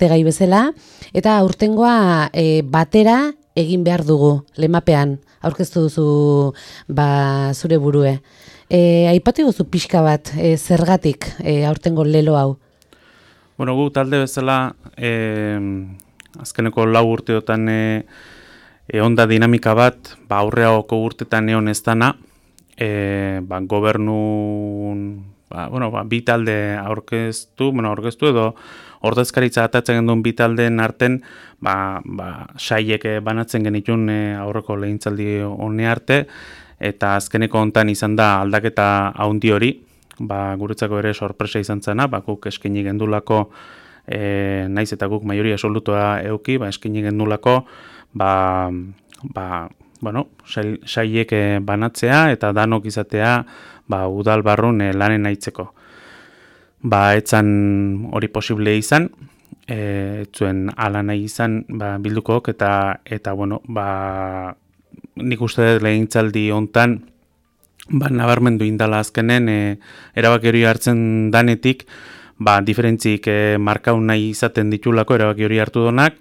gai bezala, eta aurtengoa batera egin behar dugu, lemapean, aurkeztu duzu zure burue. Aipatu guzu pixka bat, zergatik aurtengo lelo hau? Bueno, gu talde bezala, azkeneko 4 urteotan onda dinamika bat, aurreako urtetan egon ez dana, gobernun, bi talde aurkeztu edo ordezkaritza atatzen genduen bi taldeen arten, saiek banatzen genitun aurreko legintzaldi hone arte, eta azkeneko hontan izan da aldaketa haundi hori, guretzako ere sorpresa izan zena, guk eskaini gendulako, naiz eta guk maioria absolutoa euki, eskaini gendulako, saiek banatzea eta danok izatea udal barrun lanen aitzeko. Etzan hori posible izan, etzuen ala nahi izan bildukook eta nik uste dut legintzaldi hontan nabarmendu indala azkenen erabaki hori hartzen danetik diferentzik markaun nahi izaten ditulako erabaki hori hartu donak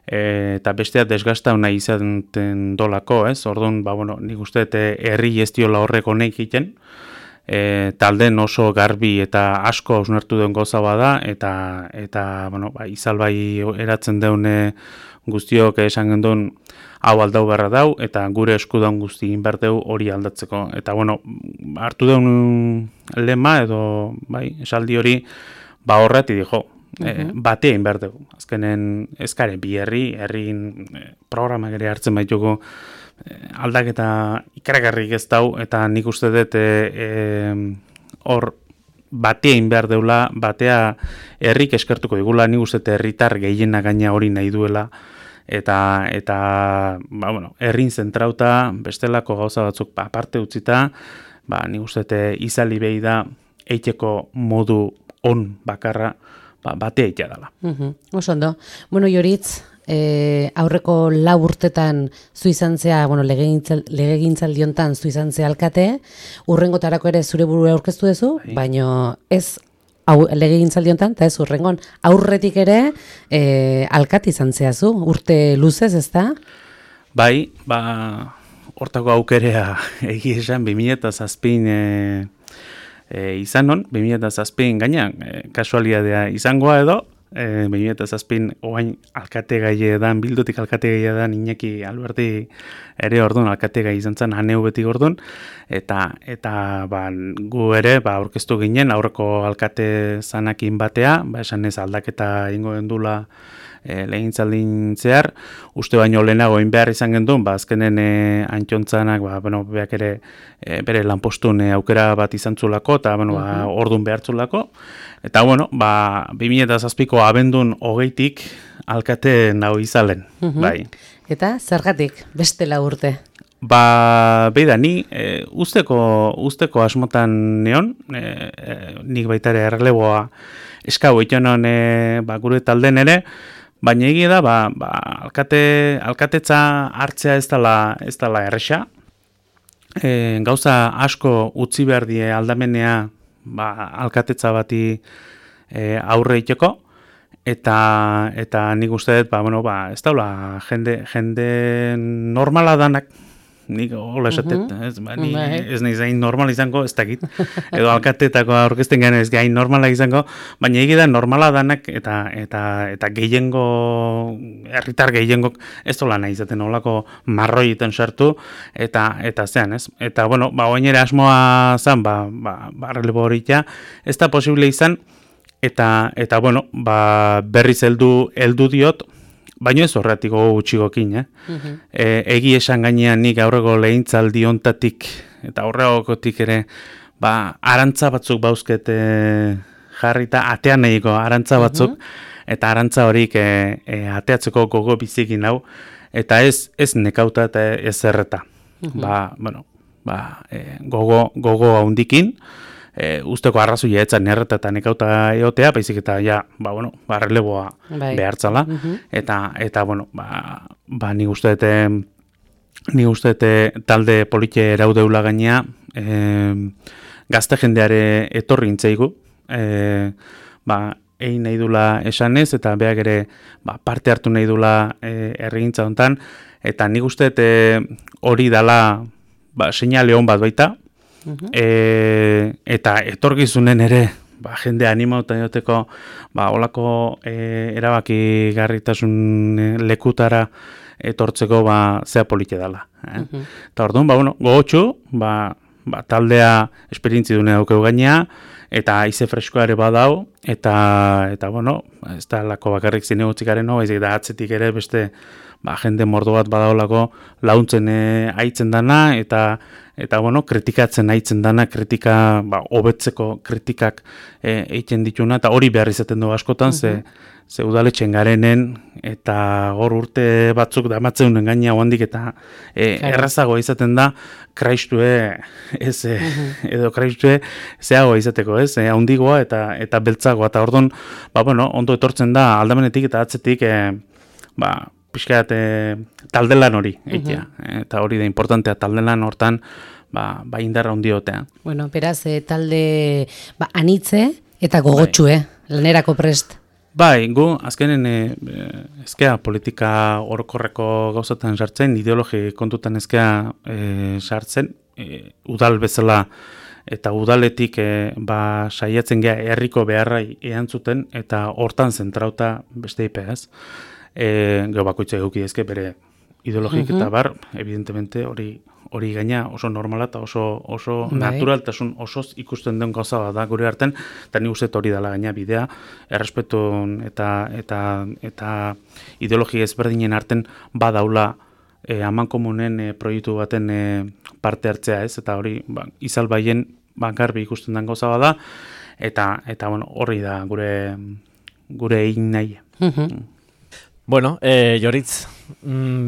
eta bestea desgastau nahi izaten dolako, ez? Orduan, nik uste dut herri gestiola horreko nahi egiten, talden oso garbi eta asko hausnartu duen goza bada eta izalbai eratzen deune guztiok esan genduen hau aldau beharra dau eta gure eskudan guzti inberteu hori aldatzeko. Eta hartu deun lema edo esaldi hori horreti dijo, batea inberteu. Azkenen eskare bi herrin programak ere hartzen baitugu aldaketa ikaragarrik ez dau, eta nik uste dut hor batea inbehar deula, batea herrik eskertuko digula, nik uste dut herritar gehiena gaina hori nahi duela, eta herrin zentrauta, bestelako gauza batzuk aparte utzita, nik uste dut izali behi da eiteko modu on bakarra, batea eitea dela. Oso ondo. Bueno, Joritz, aurreko 4 urtetan zu izan zea, legegintzaldi hontan zu izan zea alkate, urrengotarako ere zure burua aurkeztu duzu, baino ez legegintzaldi hontan, eta ez urrengon, aurretik ere alkate izan zea zu, urte luzez, ezta? Bai, hortako aukerea egia esan 2007 izan non, 2007 gaina, kasualidadea izangoa edo, 2007 oain alkate gai edan, bildutik alkate gai edan, Iñaki Alberti ere orduan alkate gai izan zen, aneu beti orduan, eta gu ere aurkeztu ginen, aurreko alkate zanakin batea, esan ez aldaketa ingo gendula legintzaldin zehar, uste baino lehenago behar izan gendun, azkenen antxontzanak, beak ere bere lanpostun aukera bat izan zulako, eta orduan behartzulako, eta 2007ko abendun 20tik alkate nago izalen, bai. Eta zergatik beste 4 urte? Beida, ni usteko asmotan neon, nik baita ere erreleboa eskau itonon gure talden ere, baina egia da, alkatetza hartzea ez dela erresa. Gauza asko utzi behar die aldamenea alkatetza bati aurre iteko, eta nik uste dut, ez daula jende normala danak, nik hola esatet, ez nahi zain normal izango, ez dakit, edo alkatetako aurkezten gane ez gain normala izango, baina egia da normala danak eta gehiengo, herritar gehiengok ez dola nahi izaten holako marroietan sartu, eta zean, ez? Eta, oinera asmoa zan, relebo horitia, ez da posible izan, eta berriz heldu diot, baina ez horretiko gutxigokin, egi esan gainean nik aurreko legintzaldi hontatik eta aurrekotik ere, arantza batzuk bauzket jarrita, atean nahiko arantza batzuk, eta arantza horik ateatzeko gogo bizikin hau, eta ez nekauta eta ez erreta. Gogo haundikin, usteko arrazoia etzan erreta eta nekauta eotea, baizik eta releboa behartzala, eta nik uste talde polite eraudeula gainea, gazte jendeare etorri intzaigu, egin nahi dula esanez, eta beak ere parte hartu nahi dula herrigintza hontan, eta nik uste hori dala seinale on bat baita, eta etorkizunen ere jende animauta joteko olako erabaki garritasun lekutara etortzeko zea polite dela. Eta orduan, gogotxu, taldea esperientzi dune daukeu gainea, eta haize freskoa ere badau, eta ez da lako bakarrik zinegotxikaren baizik da atzetik ere beste jende mordo bat badaolako launtzen aitzen dana, eta kritikatzen aitzen dana, kritika, hobetzeko kritikak egiten dituna, eta hori behar izaten du askotan, ze udaletxen garenen, eta hor urte batzuk damatzeunen gaina oandik, eta errazagoa izaten da, kraistue, edo kraistue zeagoa izateko, haundigoa eta beltzagoa, eta orduan, ondo etortzen da aldamenetik eta atzetik, pixkat taldelan hori, eta hori da importantea taldelan hortan, indarra hundiotea. Bueno, beraz, talde anitze eta gogotxue, lanerako prest. Bai, gu, azkenen ezkea politika orokorreko gauzatan sartzen, ideologi kontutan ezkea sartzen, udal bezala eta udaletik saiatzen gea herriko beharrai erantzuten eta hortan zentrauta beste ipeaz. Gero bakoitza eduki ezke bere ideologik eta evidentemente hori gaina oso normala eta oso naturaltasun osoz ikusten den gauza bat da gure artean, eta nik uste hori dela gaina bidea, errespetun eta ideologi ezberdinen arten badaula amankomunen proiektu baten parte hartzea ez, eta hori izal baien garbi ikusten den gauza bat da, eta horri da gure egin nahi. Bueno, Joritz,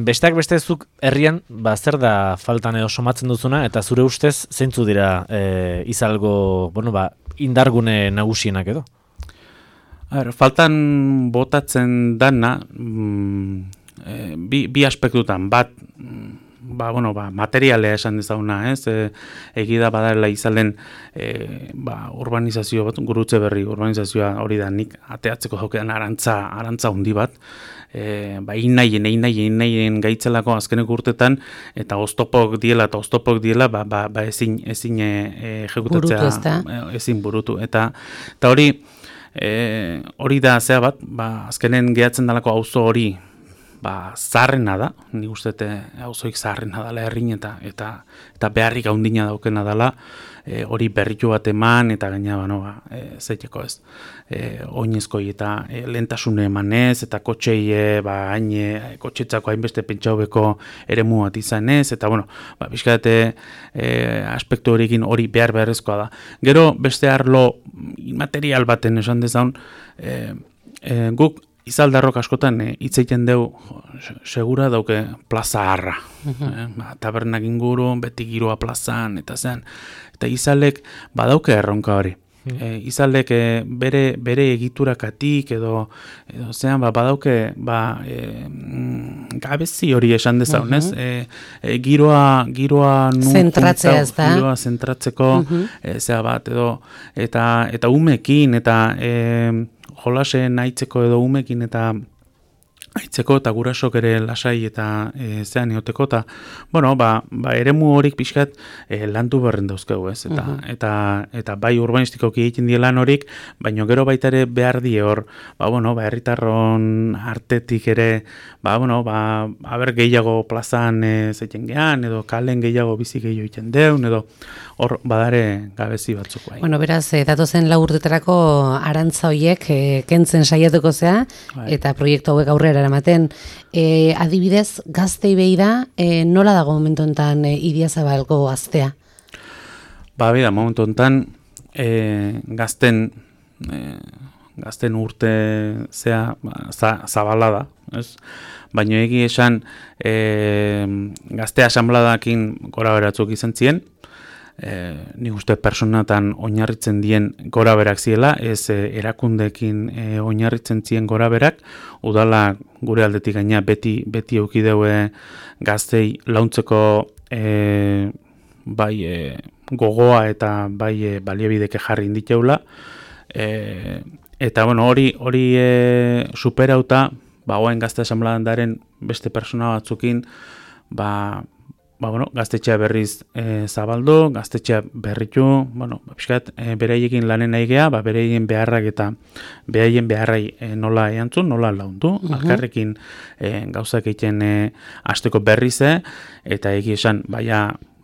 besteak bestezuk herrian, zer da faltan edo somatzen duzuna, eta zure ustez zeintzu dira izalgo, indargune nagusienak edo? Faltan botatzen dana, bi aspektutan, bat, materialea esan dezaguna, egida badala izalen urbanizazio bat, gurutze berri urbanizazioa hori da nik ateatzeko daukean arantza handi bat, innaien gaitzelako azkenek urtetan, eta oztopok diela, ezin ejekutatzea, ezin burutu. Eta hori da zea bat, azkenen gehatzen dalako auzo hori, zaharrena da, nik uste auzoik zaharrena dela herrin eta beharrik haundina daukena dela, hori berritu bat eman, eta gaina, zeiteko ez, oinezkoi eta lehentasune emanez, eta kotxei, kotxetzako hainbeste pentsaubeko eremu bat izanez, eta, bizkate aspektu horiekin hori beharrezkoa da. Gero, beste arlo material baten esan dezaun, guk izaldarrok askotan hitz egiten deu segura dauke plaza harra. Tabernak inguru, beti giroa plazan, eta zean. Eta izalek badauke erronka hori. Izalek bere egiturakatik edo zean badauke gabezi hori esan dezaunez. Giroa zentratzea ez da. Giroa zentratzeko zea bat edo eta umekin eta jolasen aitzeko edo umekin eta aitzeko eta gurasok ere lasai eta zean eoteko eta eremu horik pixkat landu berren dauzkegu ez eta bai urbanistikoki egiten die lan horik, baina gero baita ere behar die hor herritarron artetik ere aber gehiago plazan zeiten gehan edo kalen gehiago bizi gehiago egiten deun edo hor badare gabezi batzuk bai. Beraz, datozen 4 urtetarako arantza hoiek kentzen saiatuko zea eta proiektu hauek aurrera eramaten. Adibidez, gaztei behi da, nola dago momentu enten Idiazabalgo gaztea? Bida, momentu enten gazten urte zea zabala da, ez? Baina egi esan gazte asanbladakin gora beratzuk izan ziren, nik uste personatan oinarritzen dien gora berak ziela, ez erakundekin oinarritzen zien gora berak, udala gure aldetik gaina beti eukideue gaztei launtzeko gogoa eta bai baliabideke jarri inditeula, Eta bueno, hori superauta, ba orain Gazte Asanbladaren beste pertsona batzukin, bueno, gaztetxea berriz zabaldu, gaztetxea berritu, bueno, pixkat beraiekin lanen nahi gea, beraien beharrak eta beraien beharrai nola erantzun, nola laundu, alkarrekin gauzak egiten hasteko berrize, eta egia esan,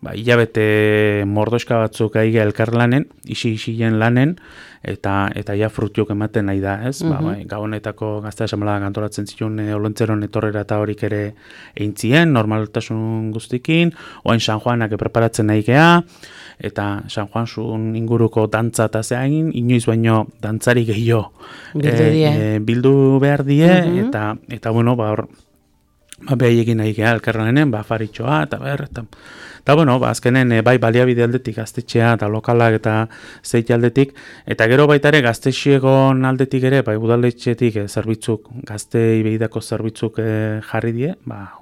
hilabete mordoska batzuk aige elkarlanen, isi-isien lanen, eta ja frutiok ematen nahi da, ez? Gabonetako Gazte Asanbladak antolatzen zituen Olentzeron etorrera eta horik ere eintzien, normaltasun guztikin, oain San Juanak preparatzen nahi gea, eta San Juan zuen inguruko dantza eta zeagin, inoiz baino dantzari gehiago bildu behar die, eta bueno, hor, behaiekin nahi gea elkarlanen, afaritxoa, eta bueno, azkenen bai baliabide aldetik gaztetxea eta lokalak eta zeit aldetik, eta gero baita ere gaztetxegon aldetik ere, bai udaletxetik zerbitzuk, gaztei behidako zerbitzuk jarri die,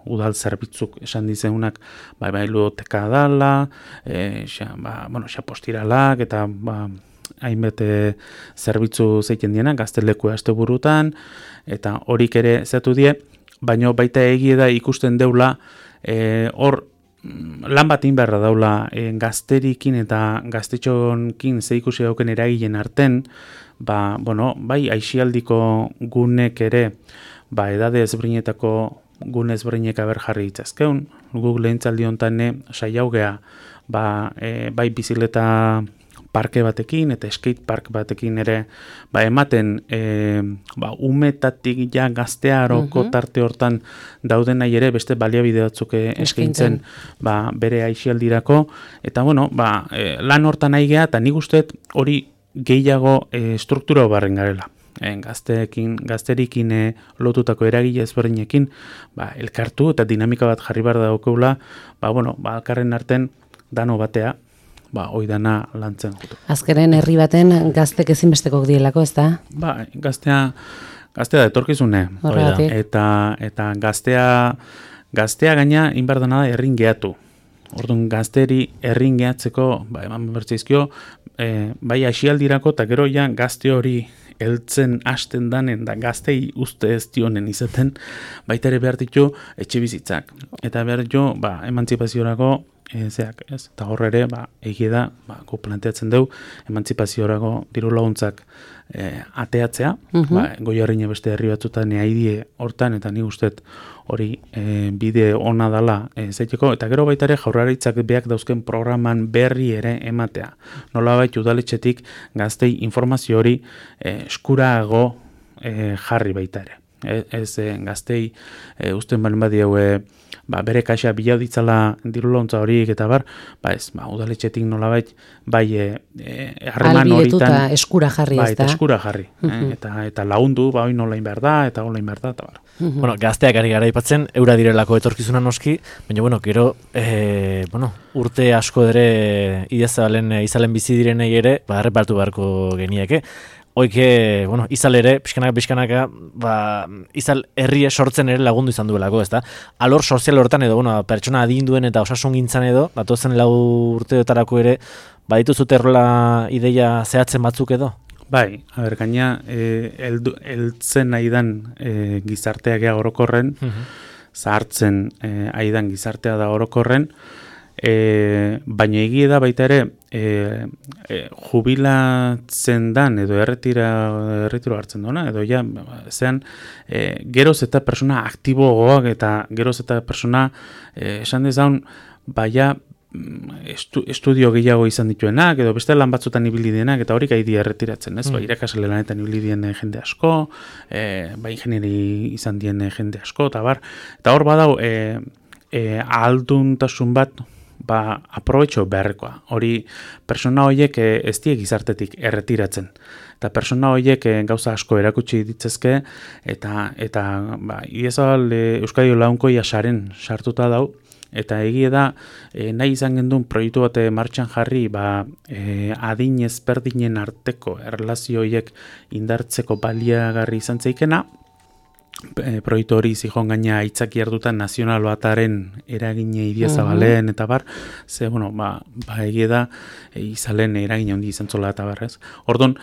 udal zerbitzuk esan dizeunak, bai ludoteka dala, xapostiralak, eta hainbete zerbitzu zeiten dienak, gazteleku asteburutan, eta horik ere zeatu die, baina baita egie da ikusten deula, hor lan bat inberra daula gazterikin eta gaztetxonkin zeikusi dauken eragilen arten, bai aixialdiko gunek ere, edade ezberdinetako gune ezberdinek jarri ditzazkeun, guk lehentzaldi honetan saiau gea, bai bizileta parke batekin eta skate park batekin ere ematen umetatik ja gaztearoko tarte hortan dauden nahi ere beste baliabide batzuk eskaintzen bere aixialdirako, eta bueno, lan hortan nahi gea, eta nik usteet hori gehiago struktura barren garela. Gazterikin lotutako eragile ezberdinekin elkartu eta dinamika bat jarri behar daukagula, alkarren arten dano batea, hoi dana lantzen jutu. Azkeren herri baten gaztek ezinbestekok dielako, ez da? Gaztea da etorkizune. Eta gaztea gaina inberdana da errin geatu. Orduan gazteri errin gehatzeko, eman bertzaizkio, bai asialdirako eta gero ja gazte hori heltzen hasten danen da gaztei uste ez dionen izaten, baita ere behar ditu etxe bizitzak. Eta behar ditu, emantzipaziorako zeak, ez? Eta horre ere, egie da, gu planteatzen dugu, emantzipaziorako diru laguntzak ateatzea, Goierrine beste herri batzutan haidie hortan, eta ni usteet hori bide ona dala zeiteko, eta gero baita ere Jaurlaritzak beak dauzken programan berri ere ematea. Nolabait udaletxetik gaztei informazio hori eskurago jarri baita ere. Ez gaztei usten balen badiau bere kaxa bilau ditzala dirulontza horiek eta udaletxetik nolabait harreman horitan albidetuta eskura jarri, ez da? Eskura jarri, eta lagundu, hori nola inber da, eta hola inber da, eta bar. Bueno, gazteak ari gara aipatzen, eura direlako etorkizuna noski, baina, gero, urte asko ere izalen bizi direnei ere, errepartu beharko genieke. Oike, izal ere, pixkanaka, izal herrie sortzen ere lagundu izan duelako, ez da? Alor sozial hortan edo, pertsona adinduen eta osasun gintzan edo, datozen 4 urteotarako ere, badituzute errola ideia zehatzen batzuk edo? Bai, gaina, heltzen aidan gizarteak orokorren, zahartzen aidan gizartea da orokorren, baina egie da baita ere jubilatzen dan edo erretiro hartzen duena, edo ja, zean geroz eta persona aktiboagoak eta geroz eta persona esan dezaun, estudio gehiago izan dituenak, edo beste lan batzutan ibili dienak, eta horik haidi erretiratzen, ez? Irakasle lanetan ibili dien jende asko, ingenieri izan dien jende asko, eta hor badau ahalduntasun bat, aprobetxo beharrekoa. Hori, persona horiek ez die gizartetik erretiratzen. Eta persona horiek gauza asko erakutsi ditzezke, eta iezabal Euskadi Launkoia saren sartuta dau, eta egie da, nahi izan gendun proiektu bat martxan jarri, adin ezberdinen arteko erlazio horiek indartzeko baliagarri izan zeikena, proiektu hori zijon gaina aitzaki hartuta nazional bataren eragine Idiazabalen eta bar, ze, bueno, egia da, izalen eragine handi izan zola eta bar, ez? Orduan,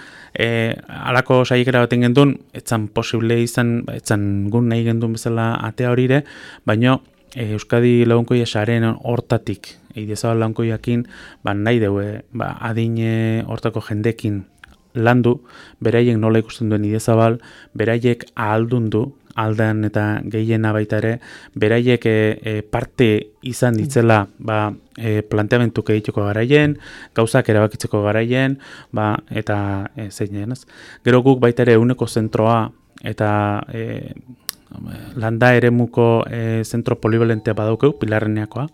alako saiekera baten gendun, etzan posible izan, etzan gun nahi gendun bezala atea horire, baina Euskadi Lagunkoia saren hortatik, Idiazabal Lagunkoiakin, nahi deue, adine hortako jendekin landu, beraiek nola ikusten duen Idiazabal, beraiek ahaldundu, aldan eta gehiena baita ere, beraiek parte izan ditzela planteamentuk egiteko garaien, gauzak erabakitzeko garaien, eta zein ez. Gero guk baita ere euneko zentroa eta landa eremuko zentro polivalentea badaukeu, Pilarreneakoa,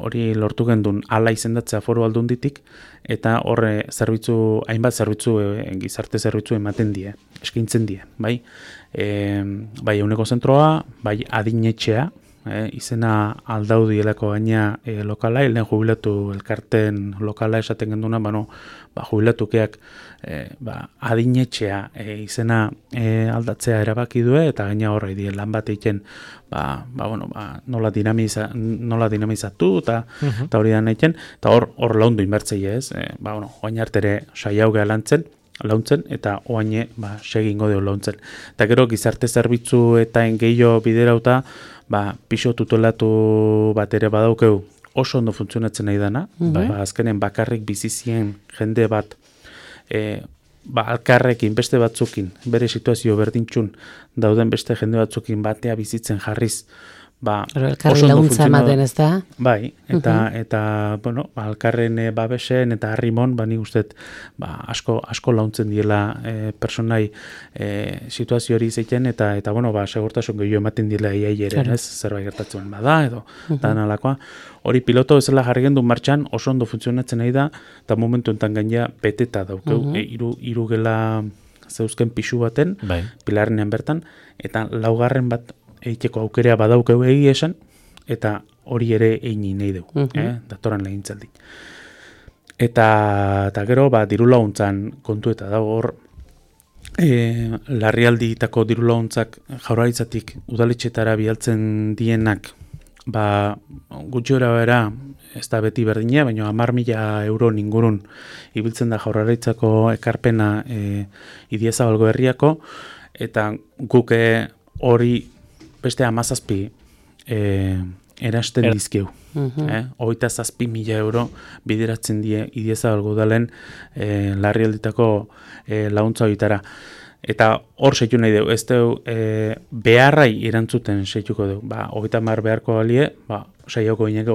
hori lortu gendun ala izendatzea Foru Aldunditik, eta horre zerbitzu, hainbat zerbitzu, gizarte zerbitzu ematen die, eskaintzen die, bai? Bai euneko zentroa, bai adinetxea, izena aldaudielako gaina lokala, lehen jubilatu elkarten lokala esaten genduna, jubilatukeak adinetxea izena aldatzea erabaki due, eta gaina horre die lan bat egiten nola dinamizatu eta hori da nahiken, eta hor laundu inbertzei ez, oain hartere saiaugea launtzen, eta oaine segingo deo launtzen. Eta gero gizarte zerbitzu eta gehiago biderauta, piso tutelatu bat ere badaukeu oso ondo funtzionatzen nahi dana, azkenen bakarrik bizizien jende bat, alkarrekin beste batzukin, bere situazio berdintxun dauden beste jende batzukin batea bizitzen jarriz, elkarri laguntza ematen, ez da? Bai, eta alkarren babesen eta harrimon, nik usteet, asko launtzen diela personai situazio hori zeiten, eta segurtasun gehiago ematen diela ere, ez, zerbait gertatzen bada, edo, da nalakoa. Hori piloto bezala jarri gendu martxan, oso ondo funtzionatzen nahi da, eta momentu enten gaina beteta daukeu, hiru gela zeuzken pixu baten, Pilarrenean bertan, eta laugarren bat egiteko aukerea badaukeu esan, eta hori ere egin nahi dugu, datoran legintzaldi. Eta gero, diru laguntzan kontu eta dago hor, larrialdietako diru laguntzak Jaurlaritzatik udaletxetara bialtzen dienak, gutxi bera, ez da beti berdina, baina 10.000 euro ingurun ibiltzen da Jaurlaritzako ekarpena Idiazabalgo herriako, eta guk hori beste 17 erasten dizkeu. 27.000 euro bideratzen die Idiazabalgo udalen larrialditako laguntza horietara. Eta hor seitu nahi dugu, ez dugu beharrai erantzuten seituko dugu. 30 beharko galie, saioko gineko